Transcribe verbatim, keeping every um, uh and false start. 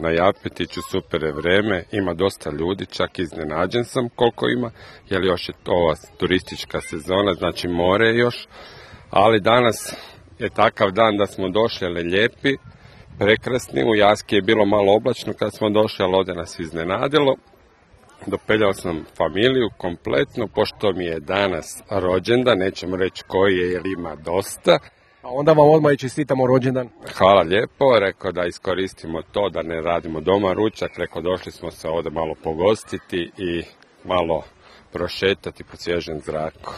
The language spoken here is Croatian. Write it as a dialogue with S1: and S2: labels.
S1: Na Japetiću super je vreme, ima dosta ljudi, čak iznenađen sam koliko ima, jer još je to ova turistička sezona, znači more je još, ali danas je takav dan da smo došli, ali lijepi, prekrasni, u Jaski je bilo malo oblačno kad smo došli, ali ovdje nas iznenadilo. Dopeljao sam familiju kompletno, pošto mi je danas rođendan, nećemo reći koji je jer ima dosta.
S2: A onda vam odmah i čestitamo rođendan.
S1: Hvala lijepo, rekao da iskoristimo to, da ne radimo doma ručak, rekao došli smo se ovdje malo pogostiti i malo prošetati po svježem zraku.